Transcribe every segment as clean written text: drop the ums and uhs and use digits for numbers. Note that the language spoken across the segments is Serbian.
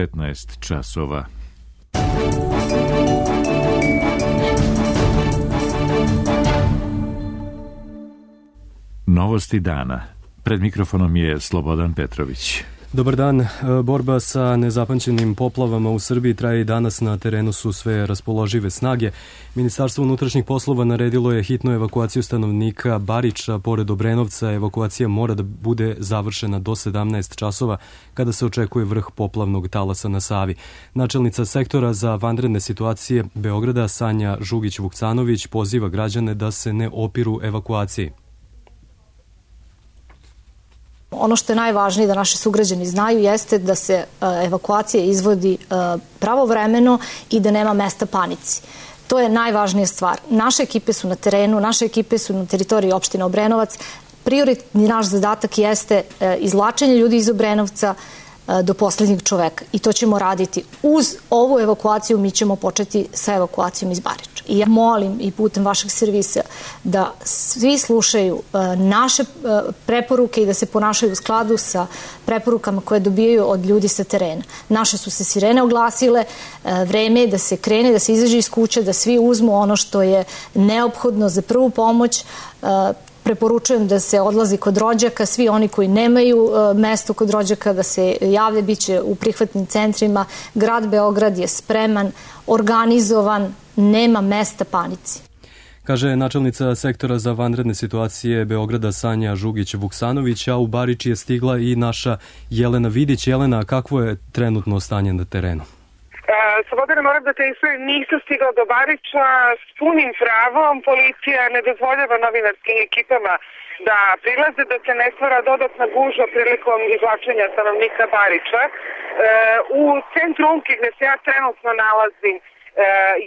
15 časova. Novosti dana. Pred mikrofonom je Slobodan Petrović. Dobar dan. Borba sa nezapamćenim poplavama u Srbiji traje i danas. Na terenu su sve raspoložive snage. Ministarstvo unutrašnjih poslova naredilo je hitnu evakuaciju stanovnika Bariča pored Obrenovca. Evakuacija mora da bude završena do 17 časova kada se očekuje vrh poplavnog talasa na Savi. Načelnica sektora za vanredne situacije Beograda Sanja Žugić-Vukcanović poziva građane da se ne opiru evakuaciji. Ono što je najvažnije da naši sugrađani znaju jeste da se evakuacija izvodi pravovremeno i da nema mesta panici. To je najvažnija stvar. Naše ekipe su na terenu, naše ekipe su na teritoriji opštine Obrenovac. Prioritni naš zadatak jeste izvlačenje ljudi iz Obrenovca do poslednjeg čoveka i to ćemo raditi. Uz ovu evakuaciju mi ćemo početi sa evakuacijom iz Bariča. I ja molim i putem vašeg servisa da svi slušaju naše preporuke i da se ponašaju u skladu sa preporukama koje dobijaju od ljudi sa terena. Naše su se sirene oglasile, vreme je da se krene, da se izađe iz kuće, da svi uzmu ono što je neophodno za prvu pomoć. Preporučujem da se odlazi kod rođaka, svi oni koji nemaju mesto kod rođaka da se javlja, bit će u prihvatnim centrima. Grad Beograd je spreman, organizovan, nema mesta panici. Kaže načelnica sektora za vanredne situacije Beograda Sanja Žugić-Vuksanović, a u Barič je stigla i naša Jelena Vidić. Jelena, kakvo je trenutno stanje na terenu? Slobodana, moram da te ispravim, nisam stigla do Bariča. S punim pravom policija ne dozvoljava novinarskim ekipama da prilaze, da se ne stvara dodatna gužva prilikom izvlačenja stanovnika Bariča. U centru Umke, gde se ja trenutno nalazim,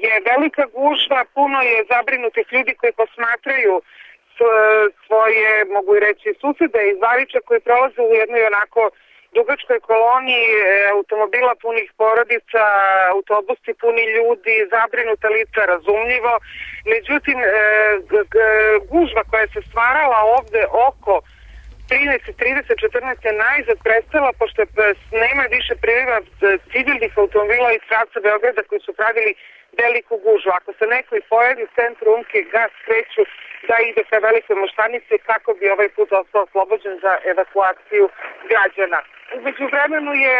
je velika gužva, puno je zabrinutih ljudi koji posmatraju svoje, mogu i reći, susede iz Bariča koji prolaze u jednoj onako dugačkoj koloniji automobila punih porodica, autobusi puni ljudi, zabrinuta lica, razumljivo. Međutim, gužva koja se stvarala ovde oko 13, 30, 14 je najzad prestala, pošto nema više priliva civilnih automobila iz pravca Beograda koji su pravili veliku gužvu. Ako se neko i pojavi u centru Umke, gas kreću da ide ka Velikoj Moštanici kako bi ovaj put ostao oslobođen za evakuaciju građana. Umeđu vremenu je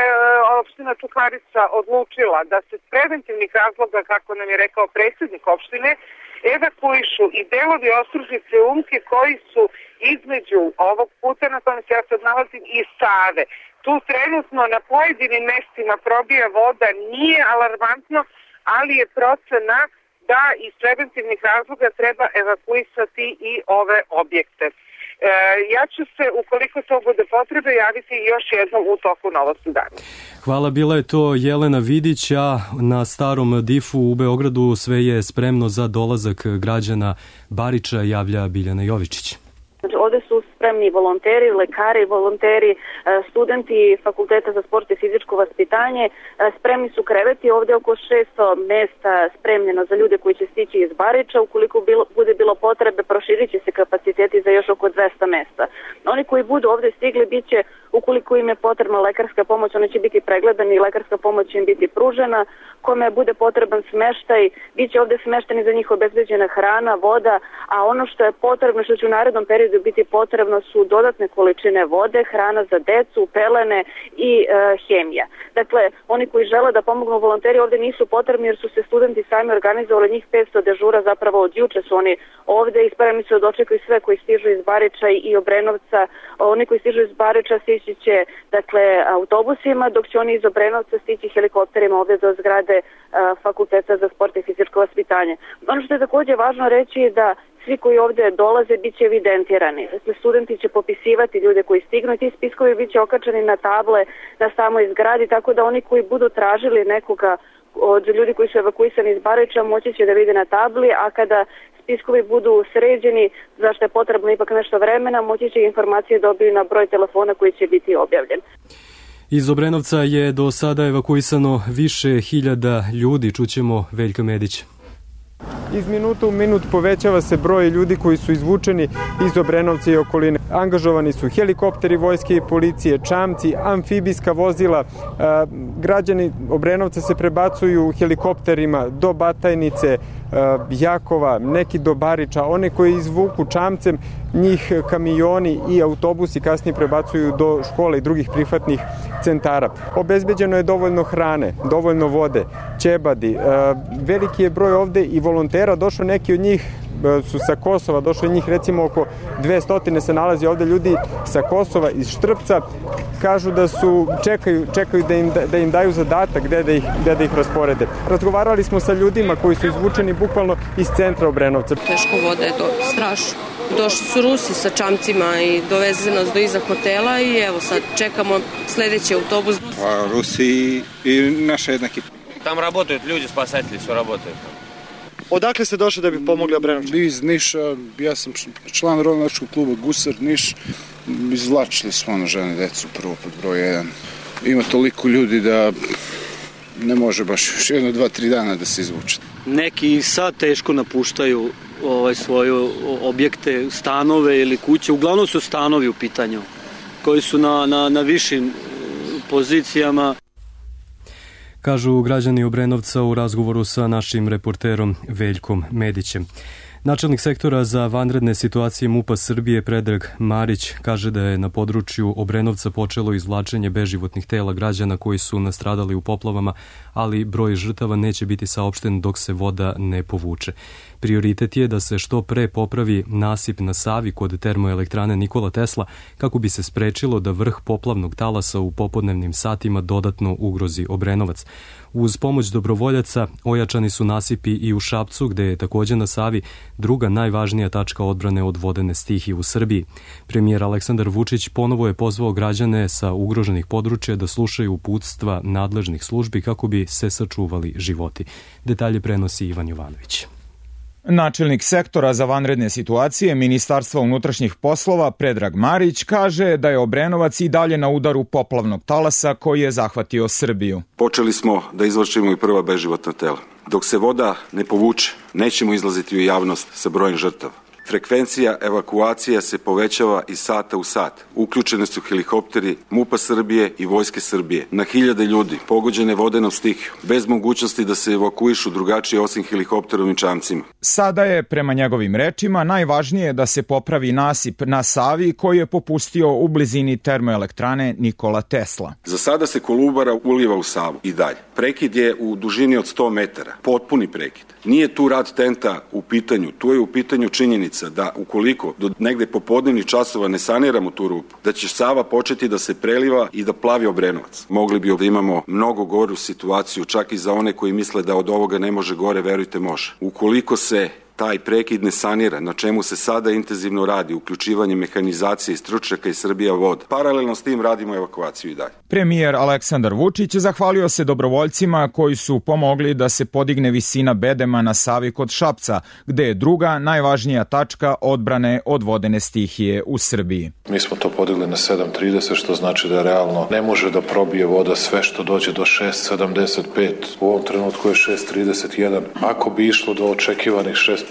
opština Čukarica odlučila da se s preventivnih razloga, kako nam je rekao predsjednik opštine, evakuišu i delovi Ostružnice Umke koji su između ovog puta na kojem se ja sad nalazim i Save. Tu trenutno na pojedinim mestima probija voda, nije alarmantno, ali je procena da iz preventivnih razloga treba evakuisati i ove objekte. Ja ću se, ukoliko to bude potrebe, javiti još jednom u toku Novosti dana. Hvala, bila je to Jelena Vidić, a na starom difu u Beogradu sve je spremno za dolazak građana Bariča, javlja Biljana Jovičić. Ovde su spremni volonteri, lekari, volonteri, studenti Fakulteta za sport i fizičko vaspitanje. Spremni su kreveti, ovde oko 600 mesta spremljeno za ljude koji će stići iz Bariča. Ukoliko bude bilo potrebe, proširit će se kapaciteti za još oko 200 mesta. Oni koji budu ovde stigli, bit će, ukoliko im je potrebna lekarska pomoć, oni će biti pregledani i lekarska pomoć će im biti pružena. Kome bude potreban smeštaj, bit će ovde smešteni za njih obezbeđena hrana, voda, a ono što je potrebno, što će u narednom periodu biti potrebno su dodatne količine vode, hrana za decu, pelene i hemija. Dakle, oni koji žele da pomognu volonteri ovde nisu potrebni jer su se studenti sami organizovali, njih 500 dežura, zapravo od juče su oni ovde i spremni su da dočekaju sve koji stižu iz Bariča i Obrenovca. Oni koji stižu iz Bariča stići će, dakle, autobusima, dok će oni iz Obrenovca stići helikopterima ovde do zgrade Fakulteta za sport i fizičko vaspitanje. Ono što je takođe važno reći je da svi koji ovde dolaze bit će evidentirani. Dakle, studenti će popisivati ljude koji stignu i ti spiskovi bit će okačeni na table na samoj zgradi, tako da oni koji budu tražili nekoga od ljudi koji su evakuisani iz Bariča moći će da vide na tabli, a kada spiskovi budu sređeni, zašto je potrebno ipak nešto vremena, moći će informacije dobiti na broj telefona koji će biti objavljen. Iz Obrenovca je do sada evakuisano više hiljada ljudi, čućemo Veljka Medića. Iz minuta u minut povećava se broj ljudi koji su izvučeni iz Obrenovca i okoline. Angažovani su helikopteri vojske i policije, čamci, amfibijska vozila. Građani Obrenovca se prebacuju helikopterima do Batajnice, Jakova, neki do Bariča. One koji izvuku čamcem, njih kamioni i autobusi kasnije prebacuju do škola i drugih prihvatnih centara. Obezbeđeno je dovoljno hrane, dovoljno vode, ćebadi. Veliki je broj ovde i volontera, došao neki od njih su sa Kosova, došlo je njih recimo oko 200 se nalazi ovde ljudi sa Kosova, iz Štrpca, kažu da su čekaju da im daju zadatak gde da ih rasporede. Razgovarali smo sa ljudima koji su izvučeni bukvalno iz centra Obrenovca. Teško voda je strašno. Došli su Rusi sa čamcima i doveze nas do iza hotela i evo sad čekamo sledeći autobus. Rusi i naša jedna ekipa. Tam работают люди, спасатели su работают. Odakle ste došli da bi pomogli Obrenovčanima? Iz Niša, ja sam član ronilačkog kluba Gusar Niš. Izvlačili smo žene, decu prvo pod broj 1. Ima toliko ljudi da ne može baš još 1, 2, 3 dana da se izvuče. Neki sad teško napuštaju svoje objekte, stanove ili kuće. Uglavnom su stanovi u pitanju koji su na višim pozicijama. Kažu građani Obrenovca u razgovoru sa našim reporterom Veljkom Medićem. Načelnik sektora za vanredne situacije MUP-a Srbije Predrag Marić kaže da je na području Obrenovca počelo izvlačenje beživotnih tela građana koji su nastradali u poplavama, ali broj žrtava neće biti saopšten dok se voda ne povuče. Prioritet je da se što pre popravi nasip na Savi kod termoelektrane Nikola Tesla kako bi se sprečilo da vrh poplavnog talasa u popodnevnim satima dodatno ugrozi Obrenovac. Uz pomoć dobrovoljaca ojačani su nasipi i u Šapcu, gde je takođe na Savi druga najvažnija tačka odbrane od vodene stihije u Srbiji. Premijer Aleksandar Vučić ponovo je pozvao građane sa ugroženih područja da slušaju uputstva nadležnih službi kako bi se sačuvali životi. Detalje prenosi Ivan Jovanović. Načelnik sektora za vanredne situacije Ministarstva unutrašnjih poslova Predrag Marić kaže da je Obrenovac i dalje na udaru poplavnog talasa koji je zahvatio Srbiju. Počeli smo da izvlačimo i prva beživotna tela. Dok se voda ne povuče, nećemo izlaziti u javnost sa brojem žrtava. Frekvencija evakuacija se povećava iz sata u sat. Uključene su helikopteri MUP-a Srbije i Vojske Srbije. Na hiljade ljudi pogođene vodenom stihijom, bez mogućnosti da se evakuišu drugačije osim helikopterom i čamcima. Sada je, prema njegovim rečima, najvažnije da se popravi nasip na Savi koji je popustio u blizini termoelektrane Nikola Tesla. Za sada se Kolubara uliva u Savu i dalje. Prekid je u dužini od 100 metara. Potpuni prekid. Nije tu rad tenta u pitanju, tu je u pitanju činjenica da ukoliko do negde popodnevnih časova ne saniramo tu rupu, da će Sava početi da se preliva i da plavi Obrenovac. Mogli bi da imamo mnogo goru situaciju, čak i za one koji misle da od ovoga ne može gore, verujte može. Ukoliko se taj prekid ne sanira, na čemu se sada intenzivno radi, uključivanje mehanizacije i stručnjaka iz Srbija Voda. Paralelno s tim radimo evakuaciju i dalje. Premijer Aleksandar Vučić zahvalio se dobrovoljcima koji su pomogli da se podigne visina bedema na Savi kod Šapca, gde je druga najvažnija tačka odbrane od vodene stihije u Srbiji. Mi smo to podigli na 7,30, što znači da realno ne može da probije voda sve što dođe do 6,75. U ovom trenutku je 6,31. Ako bi išlo do očekivanih 6,50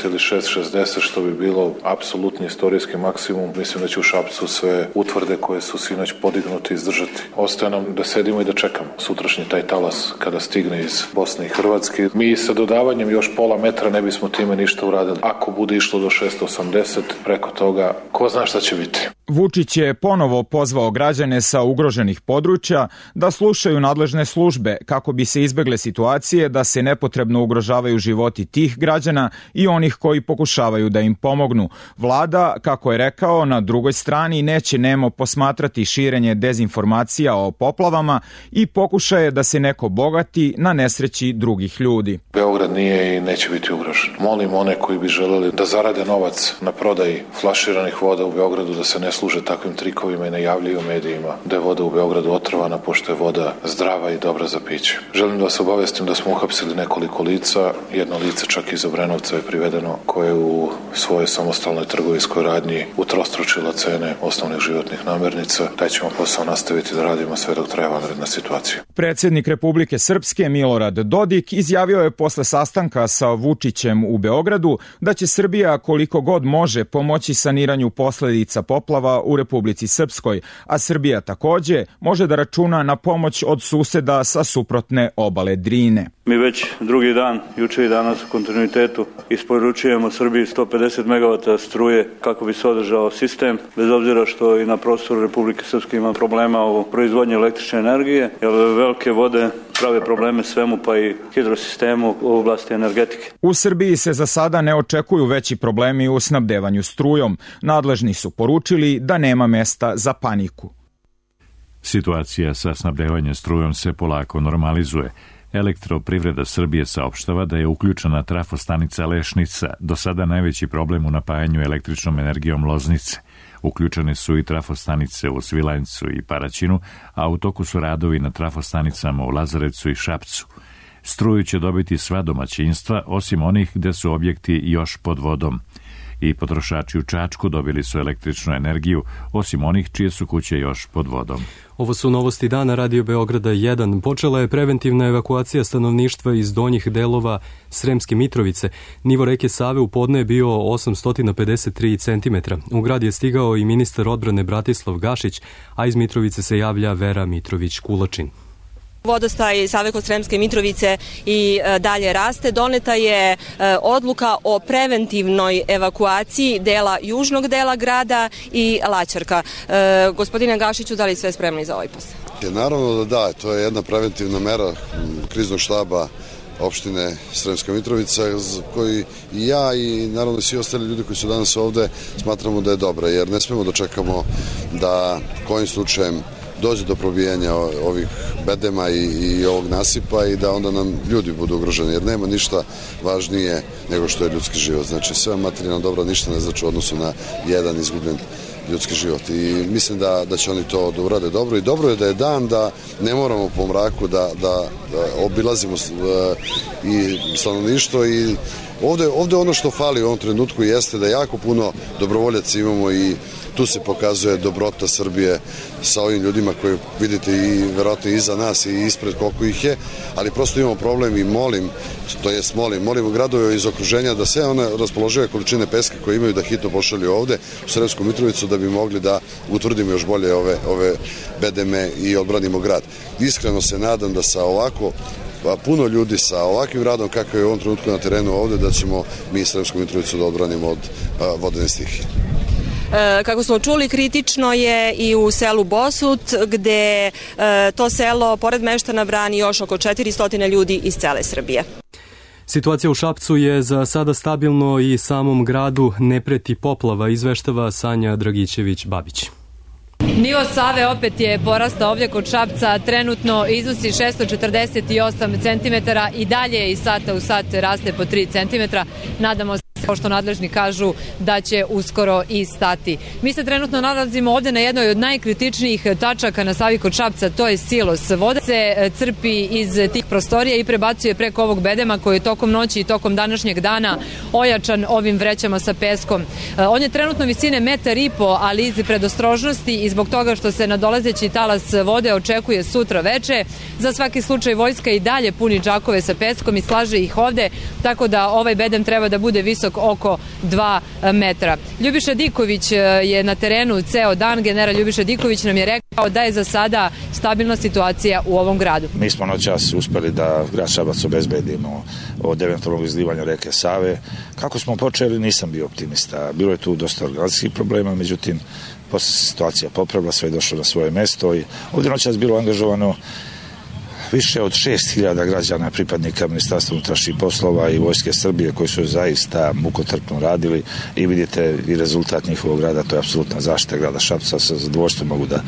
ili 6,60, što bi bilo apsolutni istorijski maksimum, mislim da će u Šapcu sve utvrde koje su sinoć podignuti izdržati. Ostaje nam da sedimo i da čekamo sutrašnji taj talas kada stigne iz Bosne i Hrvatske. Mi sa dodavanjem još pola metra ne bismo time ništa uradili. Ako bude išlo do 6,80, preko toga, ko zna šta će biti. Vučić je ponovo pozvao građane sa ugroženih područja da slušaju nadležne službe kako bi se izbegle situacije da se nepotrebno ugrožavaju životi tih građana i onih koji pokušavaju da im pomognu. Vlada, kako je rekao, na drugoj strani neće nemo posmatrati širenje dezinformacija o poplavama i pokušaje da se neko bogati na nesreći drugih ljudi. Beograd nije i neće biti ugrožen. Molim one koji bi želeli da zarade novac na prodaji flaširanih voda u Beogradu da se ne služe takvim trikovima i najavljuju medijima da je voda u Beogradu otrovana, pošto je voda zdrava i dobra za piće. Želim da vas obavestim da smo uhapsili nekoliko lica, jedno lice čak iz Obrenovca je privedeno, koje u svojoj samostalnoj trgovinskoj radnji utrostručila cene osnovnih životnih namirnica. Taj ćemo posao nastaviti da radimo sve dok traje vanredna situacija. Predsjednik Republike Srpske Milorad Dodik izjavio je posle sastanka sa Vučićem u Beogradu da će Srbija koliko god može pomoći saniranju posledica poplava u Republici Srpskoj, a Srbija takođe može da računa na pomoć od suseda sa suprotne obale Drine. Mi već drugi dan, juče i danas u kontinuitetu, isporučujemo Srbiji 150 MW struje kako bi se održao sistem, bez obzira što i na prostoru Republike Srpske ima problema u proizvodnji električne energije, jer velike vode prave probleme svemu, pa i hidrosistemu u oblasti energetike. U Srbiji se za sada ne očekuju veći problemi u snabdevanju strujom. Nadležni su poručili da nema mesta za paniku. Situacija sa snabdevanjem strujom se polako normalizuje. Elektroprivreda Srbije saopštava da je uključena trafostanica Lešnica, do sada najveći problem u napajanju električnom energijom Loznice. Uključene su i trafostanice u Svilajncu i Paraćinu, a u toku su radovi na trafostanicama u Lazarevcu i Šapcu. Struju će dobiti sva domaćinstva, osim onih gde su objekti još pod vodom. I potrošači u Čačku dobili su električnu energiju, osim onih čije su kuće još pod vodom. Ovo su novosti dana Radio Beograda 1. Počela je preventivna evakuacija stanovništva iz donjih delova Sremske Mitrovice. Nivo reke Save u podne je bio 853 cm. U grad je stigao i ministar odbrane Bratislav Gašić, a iz Mitrovice se javlja Vera Mitrović-Kulačin. Vodostaj Save kod Sremske Mitrovice i dalje raste. Doneta je odluka o preventivnoj evakuaciji dela južnog dela grada i Laćarka. Gospodine Gašiću, da li sve spremni za ovaj posao? Naravno da, to je jedna preventivna mera kriznog štaba opštine Sremska Mitrovica, koji i ja i naravno svi ostali ljudi koji su danas ovde smatramo da je dobra, jer ne smemo da čekamo da kojim slučajem dođe do probijanja ovih bedema i ovog nasipa i da onda nam ljudi budu ugroženi, jer nema ništa važnije nego što je ljudski život. Znači sve materijalno dobro ništa ne znači u odnosu na jedan izgubljen ljudski život. I mislim da će oni to da urade dobro i dobro je da je dan, da ne moramo po mraku da obilazimo i stanovništvo i ovde ono što fali u ovom trenutku jeste da jako puno dobrovoljaca imamo i tu se pokazuje dobrota Srbije sa ovim ljudima koji vidite i verovatno iza nas i ispred koliko ih je, ali prosto imamo problem i molimo gradove iz okruženja da sve one raspoložive količine peska koje imaju da hitno pošalju ovde u Sremsku Mitrovicu da bi mogli da utvrdimo još bolje ove bedeme i odbranimo grad. Iskreno se nadam da sa ovako puno ljudi sa ovakvim radom kakav je u ovom trenutku na terenu ovde, da ćemo mi Sremsku Mitrovicu da odbranimo od vodene stihije. Kako smo čuli, kritično je i u selu Bosut, gde to selo, pored meštana, brani još oko 400 ljudi iz cele Srbije. Situacija u Šapcu je za sada stabilno i samom gradu ne preti poplava, izveštava Sanja Dragićević-Babić. Nivo Save opet je porastao ovdje kod Šapca, trenutno iznosi 648 cm i dalje iz sata u sat raste po 3 cm. Nadamo se, kao što nadležni kažu, da će uskoro i stati. Mi se trenutno nalazimo ovdje na jednoj od najkritičnijih tačaka na Savi kod Šapca, to je silos. Voda se crpi iz tih prostorija i prebacuje preko ovog bedema koji je tokom noći i tokom današnjeg dana ojačan ovim vrećama sa peskom. On je trenutno visine 1,5 m, ali iz predostrožnosti i zbog toga što se nadolazeći talas vode očekuje sutra veče, za svaki slučaj vojska i dalje puni džakove sa peskom i slaže ih ovde, tako da ovaj bedem treba da bude visok oko 2 metra. Ljubiša Diković je na terenu ceo dan. General Ljubiša Diković nam je rekao da je za sada stabilna situacija u ovom gradu. Mi smo noćas uspeli da grad Šabac obezbedimo od eventualnog izlivanja reke Save. Kako smo počeli, nisam bio optimista. Bilo je tu dosta organizacijskih problema, međutim, posle situacija popravila, sve je došlo na svoje mesto i ovdje noćas bilo angažovano više od 6.000 građana pripadnika Ministarstva unutrašnjih poslova i Vojske Srbije koji su zaista mukotrpno radili i vidite i rezultat njihovog rada, to je apsolutna zaštita grada Šapca. Sa zadovoljstvom mogu da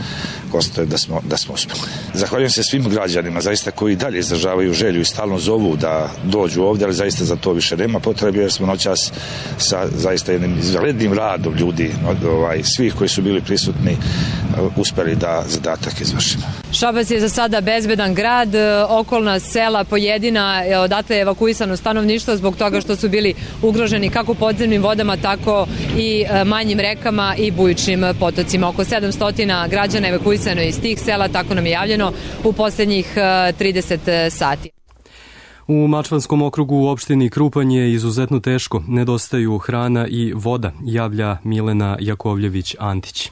konstatujem da smo uspeli. Zahvaljujem se svim građanima zaista koji dalje izražavaju želju i stalno zovu da dođu ovdje, ali zaista za to više nema potrebe jer smo noćas sa zaista jednim izvanrednim radom ljudi, svih koji su bili prisutni, uspeli da zadatak izvršimo. Šabac je za sada bezbedan grad, okolna sela pojedina, odatle je evakuisano stanovništvo zbog toga što su bili ugroženi kako podzemnim vodama, tako i manjim rekama i bujičnim potocima. Oko 700 građana evakuisano iz tih sela, tako nam je javljeno u posljednjih 30 sati. U Mačvanskom okrugu u opštini Krupanj je izuzetno teško, nedostaju hrana i voda, javlja Milena Jakovljević-Antić.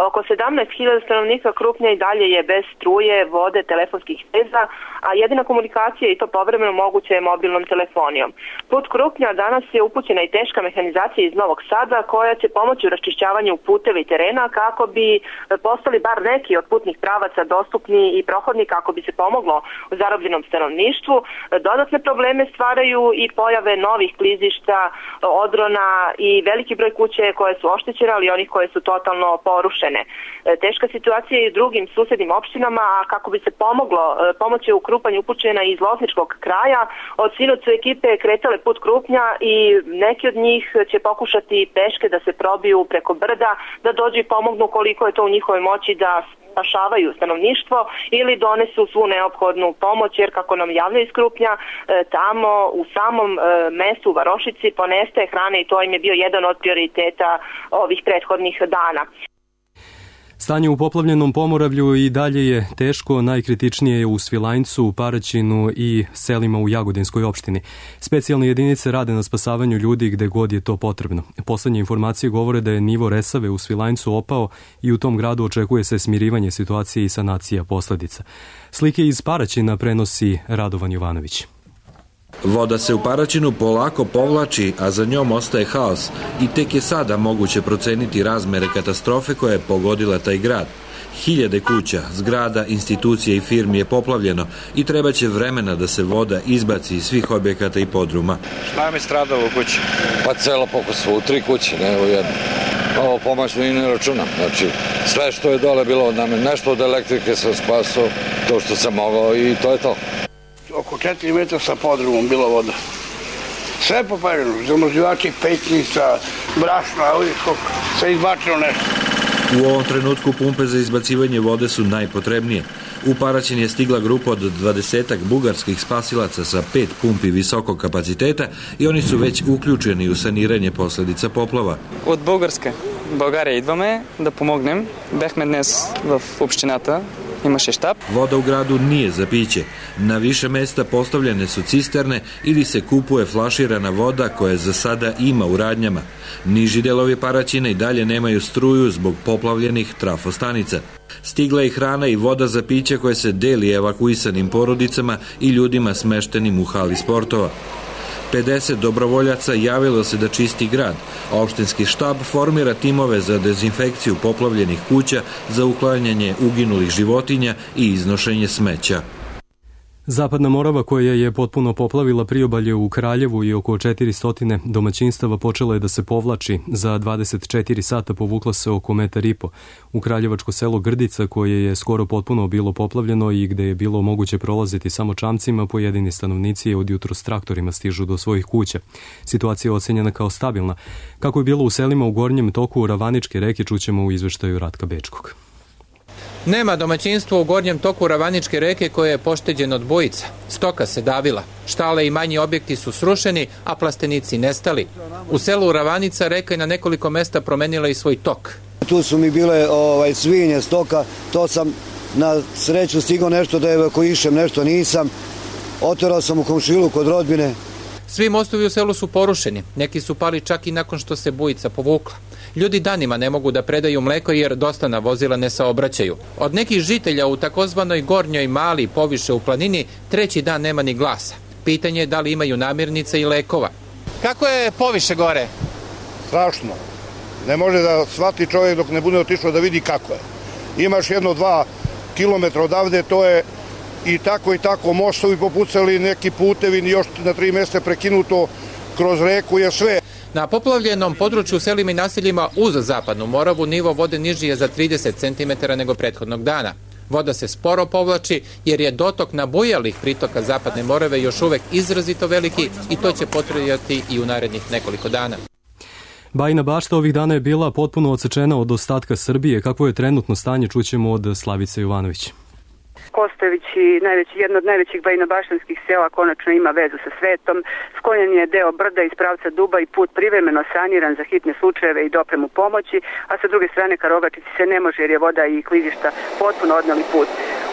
Oko 17.000 stanovnika Krupnja i dalje je bez struje, vode, telefonskih veza, a jedina komunikacija i to povremeno moguće je mobilnom telefonijom. Put Krupnja danas je upućena i teška mehanizacija iz Novog Sada koja će pomoći u raščišćavanju puteva i terena kako bi postali bar neki od putnih pravaca dostupni i prohodni kako bi se pomoglo u zarobljenom stanovništvu. Dodatne probleme stvaraju i pojave novih klizišta, odrona i veliki broj kuće koje su oštećene, ali onih koje su totalno porušene. Teška situacija je i u drugim susednim opštinama, a kako bi se pomoglo, pomoć je u Krupanju upućena iz Lozničkog kraja. Od sinoć su ekipe kretale put Krupnja i neki od njih će pokušati peške da se probiju preko brda, da dođu i pomognu koliko je to u njihovoj moći da spašavaju stanovništvo ili donesu svu neophodnu pomoć, jer kako nam javljaju iz Krupnja, tamo u samom mestu u Varošici ponestaje hrane i to im je bio jedan od prioriteta ovih prethodnih dana. Stanje u poplavljenom Pomoravlju i dalje je teško, najkritičnije je u Svilajncu, Paraćinu i selima u Jagodinskoj opštini. Specijalne jedinice rade na spasavanju ljudi gde god je to potrebno. Poslednje informacije govore da je nivo Resave u Svilajncu opao i u tom gradu očekuje se smirivanje situacije i sanacija posledica. Slike iz Paraćina prenosi Radovan Jovanović. Voda se u Paraćinu polako povlači, a za njom ostaje haos i tek je sada moguće proceniti razmere katastrofe koja je pogodila taj grad. Hiljade kuća, zgrada, institucija i firmi je poplavljeno i treba će vremena da se voda izbaci iz svih objekata i podruma. Šta vam je stradalo u kući? Pa celo pokusvo, u 3 kuće, ne u jednu. Ovo pomoćno i ne računam. Znači, sve što je dole bilo od name, nešto od elektrike sam spasao, to što sam mogao i to je to. Oko 4 metra sa podrumom bila voda. Sve popareno, zamrzivači, pećnica, brašna, sve izbačeno nešto. U ovom trenutku pumpe za izbacivanje vode su najpotrebnije. U Paraćin je stigla grupa od 20 bugarskih spasilaca sa 5 pumpi visokog kapaciteta i oni su već uključeni u saniranje posledica poplava. От България идваме да помогнем. Бяхме днес в общината. Имаше щаб. Voda u gradu nije za piće. Na više mesta postavljene su cisterne ili se kupuje flaširana voda koja za sada ima u radnjama. Niži delovi Paraćina i dalje nemaju struju zbog poplavljenih trafostanica. Stigla je hrana i voda za piće koje se deli evakuisanim porodicama i ljudima smeštenim u hali sportova. 50 dobrovoljaca javilo se da čisti grad. Opštinski štab formira timove za dezinfekciju poplavljenih kuća, za uklanjanje uginulih životinja i iznošenje smeća. Zapadna Morava, koja je potpuno poplavila priobalje u Kraljevu i oko 400 domaćinstava, počela je da se povlači. Za 24 sata povukla se oko 1,5 m. U kraljevačko selo Grdica, koje je skoro potpuno bilo poplavljeno i gde je bilo moguće prolaziti samo čamcima, pojedini stanovnici od jutro s traktorima stižu do svojih kuća. Situacija je ocenjena kao stabilna. Kako je bilo u selima u gornjem toku Ravaničke reke, čućemo u izveštaju Ratka Bečkog. Nema domaćinstva u gornjem toku Ravaničke reke koje je pošteđeno od bujica. Stoka se davila. Štale i manji objekti su srušeni, a plastenici nestali. U selu Ravanica reka je na nekoliko mesta promenila i svoj tok. Tu su mi bile svinje, stoka, to sam na sreću stigao nešto da evakuišem, nešto nisam. Oterao sam u komšilu kod rodbine. Svi mostovi u selu su porušeni. Neki su pali čak i nakon što se bujica povukla. Ljudi danima ne mogu da predaju mleko jer dostavna vozila ne saobraćaju. Od nekih žitelja u takozvanoj Gornjoj Mali poviše u planini 3. dan nema ni glasa. Pitanje je da li imaju namirnica i lekova. Kako je poviše gore? Strašno. Ne može da shvati čovjek dok ne bude otišao da vidi kako je. Imaš 1-2 kilometra odavde, to je i tako mostovi popucali, neki putevi, još na 3 mjesta prekinuto kroz reku je sve. Na poplavljenom području u selima i naseljima uz Zapadnu Moravu nivo vode niži je za 30 cm nego prethodnog dana. Voda se sporo povlači jer je dotok nabujalih pritoka Zapadne Morave još uvek izrazito veliki i to će potrajati i u narednih nekoliko dana. Bajina Bašta ovih dana je bila potpuno odsečena od ostatka Srbije. Kakvo je trenutno stanje, čućemo od Slavice Jovanović. Kostović, jedno od najvećih bajinobaštanskih sela, konačno ima vezu sa svetom. Sklonjen je deo brda iz pravca Duba i put privremeno saniran za hitne slučajeve i dopremu pomoći, a sa druge strane ka Rogačici se ne može jer je voda i klizišta potpuno odneli put.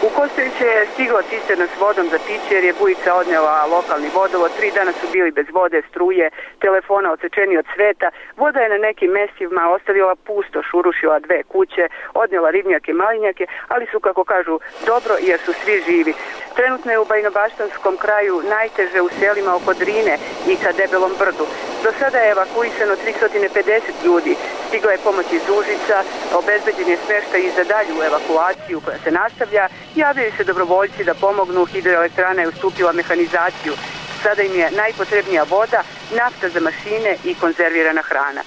U Kostoviće je stigla cisterna s vodom za piće jer je bujica odnela lokalni vodovod. 3 dana su bili bez vode, struje, telefona odsečeni od sveta. Voda je na nekim mestima ostavila pustoš, urušila 2 kuće, odnela ribnjake, malinjake, ali su, kako kažu, dobro jer su svi živi. Trenutno je u Bajinobaštanskom kraju najteže u selima oko Drine i ka Debelom brdu. Do sada je evakuisano 350 ljudi. Stigla je pomoć iz Užica, obezbeđen je smeštaj i za dalju evakuaciju koja se nastavlja. Javljaju se dobrovoljci da pomognu, hidroelektrana je ustupila mehanizaciju. Sada im je najpotrebnija voda, nafta za mašine i konzervirana hrana.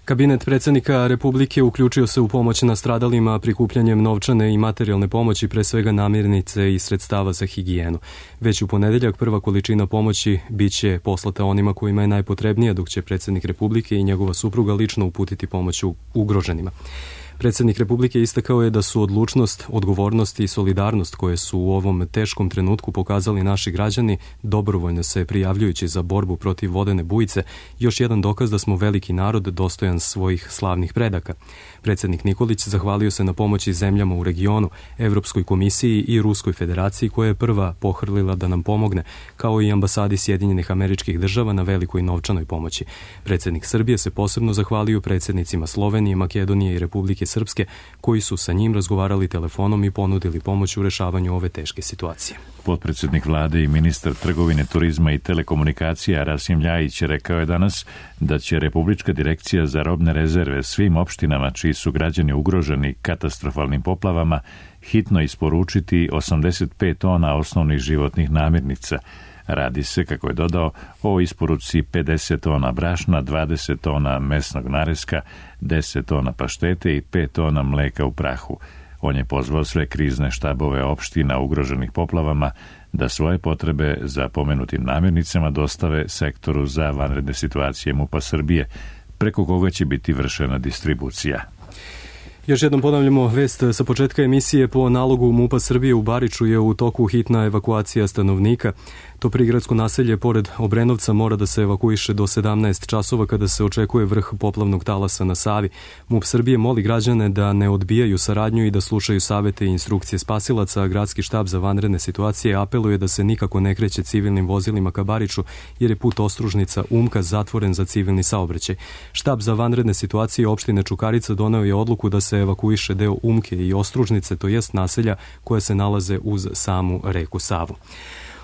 Kabinet predsjednika Republike uključio se u pomoć nastradalima prikupljanjem novčane i materijalne pomoći, pre svega namirnice i sredstava za higijenu. Već u ponedeljak prva količina pomoći biće poslata onima kojima je najpotrebnija, dok će predsjednik Republike i njegova supruga lično uputiti pomoć ugroženima. Predsjednik Republike istakao je da su odlučnost, odgovornost i solidarnost koje su u ovom teškom trenutku pokazali naši građani, dobrovoljno se prijavljujući za borbu protiv vodene bujice, još jedan dokaz da smo veliki narod dostojan svojih slavnih predaka. Predsjednik Nikolić zahvalio se na pomoći zemljama u regionu, Evropskoj komisiji i Ruskoj federaciji koja je prva pohrlila da nam pomogne, kao i ambasadi Sjedinjenih Američkih Država na velikoj novčanoj pomoći. Predsjednik Srbije se posebno zahvalio predsjednicima Slovenije, Makedonije i Republike Srpske, koji su sa njim razgovarali telefonom i ponudili pomoć u rešavanju ove teške situacije. Potpredsjednik vlade i ministar trgovine, turizma i telekomunikacija Rasim Ljajić rekao je danas da će Republička direkcija za robne rezerve svim opštinama čiji su građani ugroženi katastrofalnim poplavama hitno isporučiti 85 tona osnovnih životnih namirnica. Radi se, kako je dodao, o isporuci 50 tona brašna, 20 tona mesnog nareska, 10 tona paštete i 5 tona mleka u prahu. On je pozvao sve krizne štabove opština ugroženih poplavama da svoje potrebe za pomenutim namirnicama dostave sektoru za vanredne situacije MUP-a Srbije, preko koga će biti vršena distribucija. Još jednom ponavljamo vest sa početka emisije. Po nalogu MUP-a Srbije u Bariču je u toku hitna evakuacija stanovnika. To prigradsko naselje pored Obrenovca mora da se evakuiše do 17 časova kada se očekuje vrh poplavnog talasa na Savi. MUP Srbije moli građane da ne odbijaju saradnju i da slušaju savete i instrukcije spasilaca, a Gradski štab za vanredne situacije apeluje da se nikako ne kreće civilnim vozilima ka Bariču jer je put Ostružnica Umka zatvoren za civilni saobraćaj. Štab za vanredne situacije opštine Čukarica doneo je odluku da se evakuiše deo Umke i Ostružnice, to jest naselja koje se nalaze uz samu reku Savu.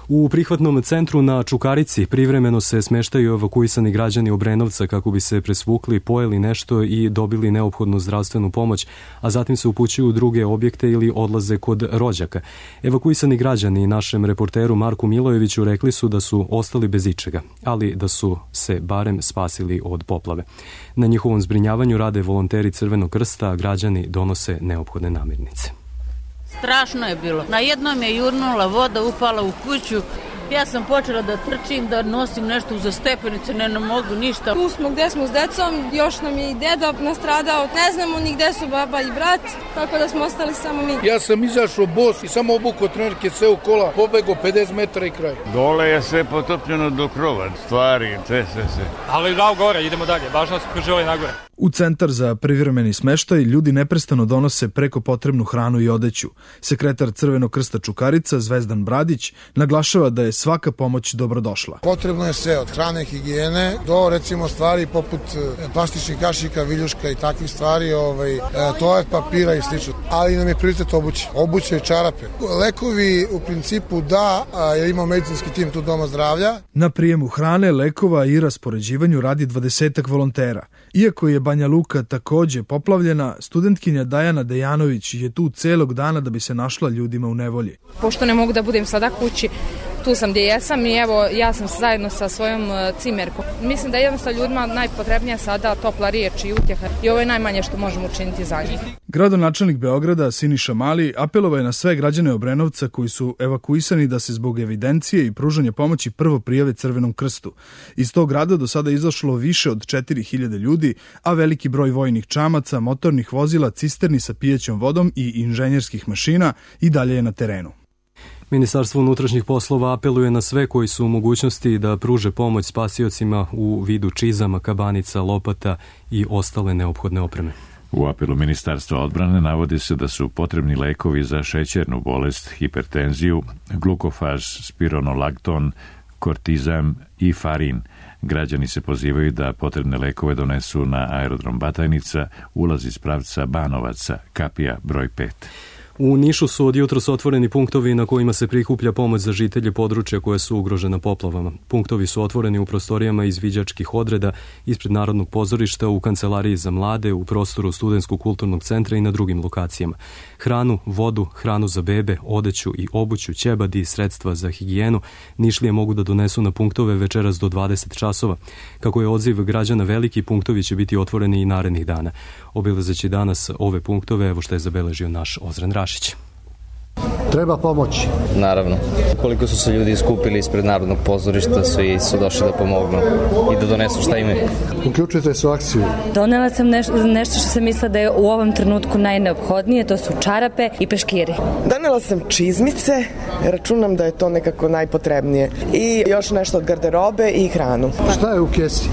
U prihvatnom centru na Čukarici privremeno se smeštaju evakuisani građani Obrenovca kako bi se presvukli, pojeli nešto i dobili neophodnu zdravstvenu pomoć, a zatim se upućuju u druge objekte ili odlaze kod rođaka. Evakuisani građani našem reporteru Marku Milojeviću rekli su da su ostali bez ičega, ali da su se barem spasili od poplave. Na njihovom zbrinjavanju rade volonteri Crvenog krsta, a građani donose neophodne namirnice. Strašno je bilo. Na jednom je jurnula voda, upala u kuću. Ja sam počela da trčim, da nosim nešto uza stepenice, ne mogu ništa. Tu smo gde smo s decom, još nam je i deda nastradao. Ne znamo ni gde su baba i brat, tako da smo ostali samo mi. Ja sam izašao bos i samo obukao trenerke, sve u kola, pobegao 50 metara i kraj. Dole je sve potopljeno do krova, stvari, sve. Ali dao gore, idemo dalje, važno se preželi nagore. U centar za privremeni smeštaj ljudi neprestano donose preko potrebnu hranu i odeću. Sekretar Crvenog krsta Čukarica, Zvezdan Bradić, naglašava da je svaka pomoć dobrodošla. Potrebno je sve, od hrane, higijene, do recimo stvari poput plastičnih kašika, viljuška i takvih stvari, toalet papira i slično. Ali nam je prioritet obuće i čarape. Lekovi u principu da, jer ima medicinski tim tu Doma zdravlja. Na prijemu hrane, lekova i raspoređivanju radi 20 volontera. Iako je Banja Luka takođe poplavljena, studentkinja Dajana Dejanović je tu celog dana da bi se našla ljudima u nevolji. Pošto ne mogu da budem sada kući, tu sam gdje jesam i evo ja sam zajedno sa svojom cimerkom. Mislim da je jednostavno ljudima najpotrebnija sada topla riječ i utjeha i ovo je najmanje što možemo učiniti za njih. Gradonačelnik Beograda Siniša Mali apelovao je na sve građane Obrenovca koji su evakuisani da se zbog evidencije i pružanja pomoći prvo prijave Crvenom krstu. Iz tog grada do sada izašlo više od 4000 ljudi, a veliki broj vojnih čamaca, motornih vozila, cisterni sa pijećom vodom i inženjerskih mašina i dalje je na terenu. Ministarstvo unutrašnjih poslova apeluje na sve koji su u mogućnosti da pruže pomoć spasiocima u vidu čizama, kabanica, lopata i ostale neophodne opreme. U apelu Ministarstva odbrane navodi se da su potrebni lekovi za šećernu bolest, hipertenziju, glukofaz, spironolakton, kortizam i farin. Građani se pozivaju da potrebne lekove donesu na aerodrom Batajnica, ulaz iz pravca Banovaca, kapija broj 5. U Nišu su od jutros otvoreni punktovi na kojima se prikuplja pomoć za žitelje područja koje su ugrožena poplavama. Punktovi su otvoreni u prostorijama izviđačkih odreda, ispred Narodnog pozorišta, u kancelariji za mlade, u prostoru Studentskog kulturnog centra i na drugim lokacijama. Hranu, vodu, hranu za bebe, odeću i obuću, ćebad i sredstva za higijenu Nišlije mogu da donesu na punktove večeras do 20 časova. Kako je odziv građana veliki, punktovi će biti otvoreni i narednih dana. Obilazeći danas ove punktove, evo što je zabeležio naš Ozren Rašić. Treba pomoći. Naravno. Koliko su se ljudi iskupili ispred Narodnog pozorišta, svi su došli da pomognu i da donesu šta imaju. Uključujete se u akciju. Donela sam nešto što sam mislila da je u ovom trenutku najneophodnije, to su čarape i peškiri. Donela sam čizmice, računam da je to nekako najpotrebnije. I još nešto od garderobe i hranu. Šta je u kesi?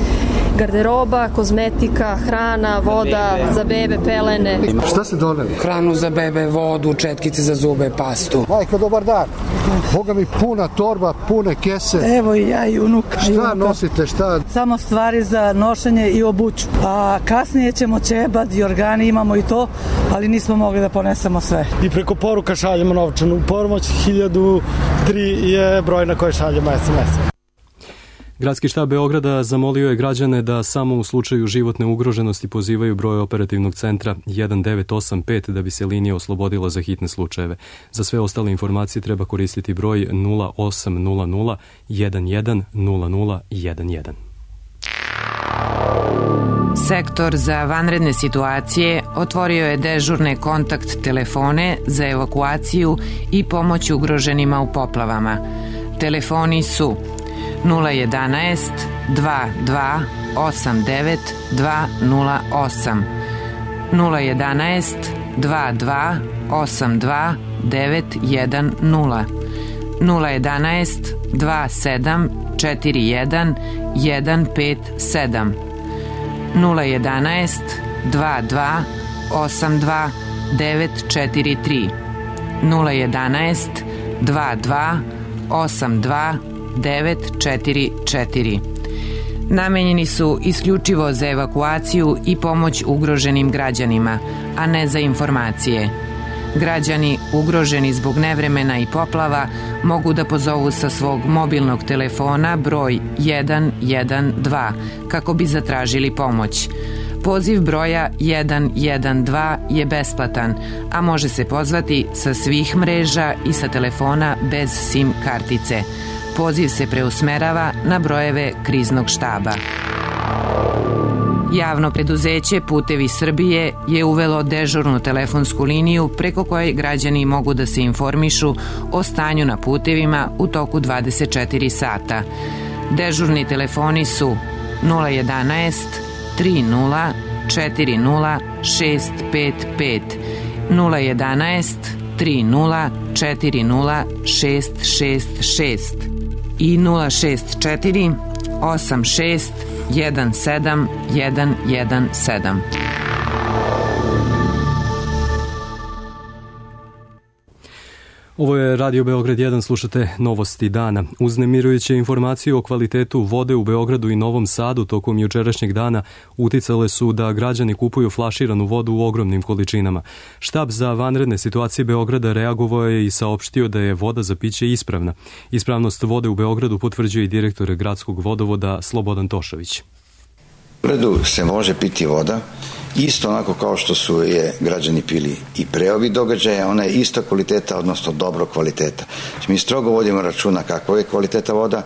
Garderoba, kozmetika, hrana, voda za bebe, pelene. Šta ste doneli? Hranu za bebe, vodu, četkice za zube, pastu. Majko, dobar dan. Boga mi puna torba, pune kese. Evo i ja i unuka. Šta nosite, šta? Samo stvari za nošenje i obuću. A kasnije ćemo ćebad i organi, imamo i to, ali nismo mogli da ponesemo sve. I preko poruka šaljemo novčanu pomoć, 1003 je broj na koji šaljemo SMS. Gradski štab Beograda zamolio je građane da samo u slučaju životne ugroženosti pozivaju broj operativnog centra 1985 da bi se linija oslobodila za hitne slučajeve. Za sve ostale informacije treba koristiti broj 0800 11 00 11. Sektor za vanredne situacije otvorio je dežurne kontakt telefone za evakuaciju i pomoć ugroženima u poplavama. Telefoni su 011 22 89 208 011 22 82 910 011 27 41 157 011 22 82 943 011 22 82 944. Namenjeni su isključivo za evakuaciju i pomoć ugroženim građanima, a ne za informacije. Građani ugroženi zbog nevremena i poplava mogu da pozovu sa svog mobilnog telefona broj 112 kako bi zatražili pomoć. Poziv broja 112 je besplatan, a može se pozvati sa svih mreža i sa telefona bez SIM kartice. Poziv se preusmerava na brojeve kriznog štaba. Javno preduzeće Putevi Srbije je uvelo dežurnu telefonsku liniju preko koje građani mogu da se informišu o stanju na putevima u toku 24 sata. Dežurni telefoni su 011 30 40 655 011 30 40 666 i 064 86 17 117. Ovo je Radio Beograd 1, slušate Novosti dana. Uznemirujuće informacije o kvalitetu vode u Beogradu i Novom Sadu tokom jučerašnjeg dana uticale su da građani kupuju flaširanu vodu u ogromnim količinama. Štab za vanredne situacije Beograda reagovao je i saopštio da je voda za piće ispravna. Ispravnost vode u Beogradu potvrđuje i direktor gradskog vodovoda Slobodan Tošović. U Beogradu se može piti voda, isto onako kao što su je građani pili i pre ovih događaja, ona je ista kvaliteta, odnosno dobro kvaliteta. Mi strogo vodimo računa kakva je kvaliteta voda,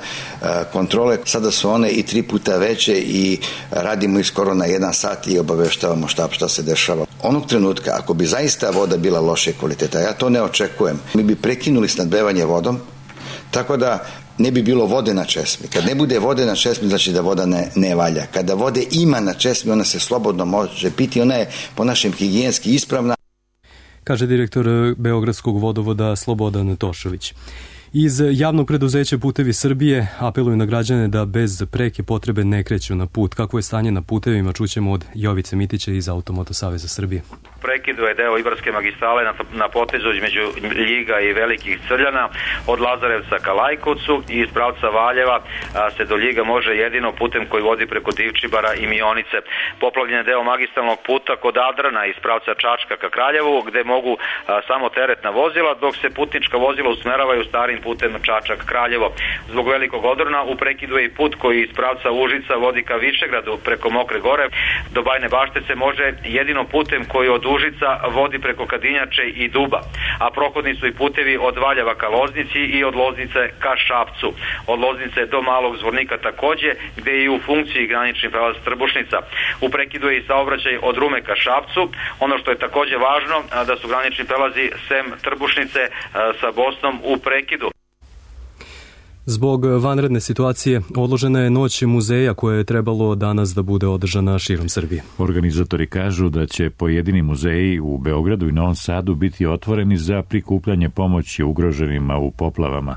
kontrole, sada su one i 3 puta veće i radimo ih skoro na 1 sat i obaveštavamo šta se dešava. Onog trenutka, ako bi zaista voda bila loše kvaliteta, ja to ne očekujem, mi bi prekinuli snabdevanje vodom, tako da ne bi bilo vode na česmi. Kad ne bude vode na česmi, znači da voda ne valja. Kada vode ima na česmi, ona se slobodno može piti, ona je po našem higijenski ispravna. Kaže direktor Beogradskog vodovoda Slobodan Tošović. Iz javnog preduzeća Putevi Srbije apeluju na građane da bez preke potrebe ne kreću na put. Kako je stanje na putevima, čućemo od Jovice Mitića iz Automoto Saveza Srbije. Prekidu je deo Ibarske magistrale na potezu između Ljiga i Velikih Crljana od Lazarevca ka Lajkovcu i iz pravca Valjeva se do Ljiga može jedino putem koji vodi preko Divčibara i Mionice. Poplavljen je deo magistralnog puta kod Adrana iz pravca Čačka ka Kraljevu gde mogu samo teretna vozila dok se putnička vozila usmeravaju starim putem Čačak-Kraljevo. Zbog velikog odrona u prekidu je i put koji iz pravca Užica vodi ka Višegradu preko Mokre Gore. Do Bajne Bašte se može jedino putem koji od Užica vodi preko Kadinjače i Duba, a prohodni su i putevi od Valjeva ka Loznici i od Loznice ka Šapcu. Od Loznice do Malog Zvornika takođe, gde je i u funkciji granični prelaz Trbušnica. U prekidu je i saobraćaj od Rume ka Šapcu. Ono što je takođe važno, da su granični prelazi sem Trbušnice sa Bosnom u prekidu. Zbog vanredne situacije odložena je noć muzeja koja je trebalo danas da bude održana širom Srbije. Organizatori kažu da će pojedini muzeji u Beogradu i Novom Sadu biti otvoreni za prikupljanje pomoći ugroženima u poplavama.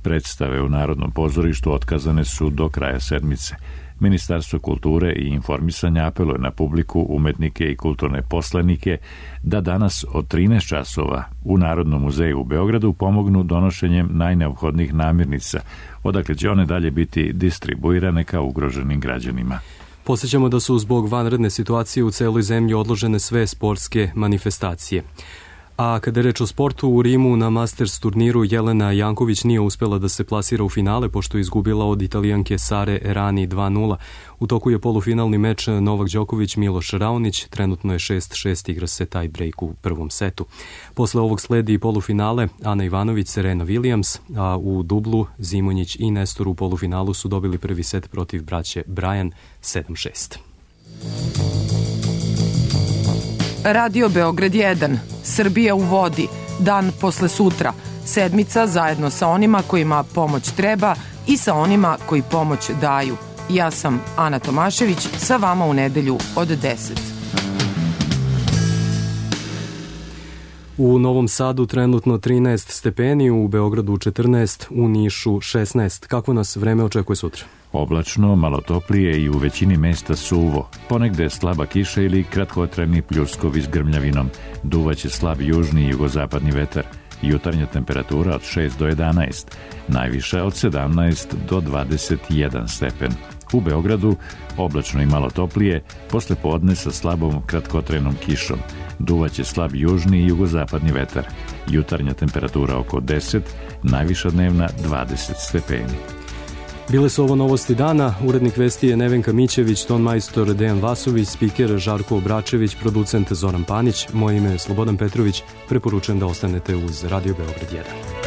Predstave u Narodnom pozorištu otkazane su do kraja sedmice. Ministarstvo kulture i informisanja apeluje na publiku, umetnike i kulturne poslanike da danas od 13 časova u Narodnom muzeju u Beogradu pomognu donošenjem najneophodnijih namirnica, odakle će one dalje biti distribuirane kao ugroženim građanima. Posjećamo da su zbog vanredne situacije u celoj zemlji odložene sve sportske manifestacije. A kada je reč o sportu, u Rimu na Masters turniru Jelena Janković nije uspela da se plasira u finale pošto je izgubila od Italijanke Sare Errani 2-0. U toku je polufinalni meč Novak Đoković Miloš Raonić, trenutno je 6-6, igra se taj break u prvom setu. Posle ovog sledi i polufinale Ana Ivanović, Serena Williams, a u dublu Zimonjić i Nestor u polufinalu su dobili prvi set protiv braće Bryan 7-6. Radio Beograd 1, Srbija u vodi, dan posle sutra, sedmica zajedno sa onima kojima pomoć treba i sa onima koji pomoć daju. Ja sam Ana Tomašević, sa vama u nedelju od 10. U Novom Sadu trenutno 13 stepeni, u Beogradu 14, u Nišu 16. Kako nas vreme očekuje sutra? Oblačno, malo toplije i u većini mesta suvo. Ponegde slaba kiša ili kratkotrajni pljuskovi s grmljavinom. Duvaće slab južni i jugozapadni vetar. Jutarnja temperatura od 6 do 11. Najviša od 17 do 21 stepen. U Beogradu oblačno i malo toplije, posle podne sa slabom kratkotrajnom kišom. Duvaće slab južni i jugozapadni vetar. Jutarnja temperatura oko 10, najviša dnevna 20 stepeni. Bile su ovo novosti dana, urednik vesti je Nevenka Mićević, ton majstor Dejan Vasović, spiker Žarko Obračević, producent Zoran Panić, moje ime je Slobodan Petrović, preporučujem da ostanete uz Radio Beograd 1.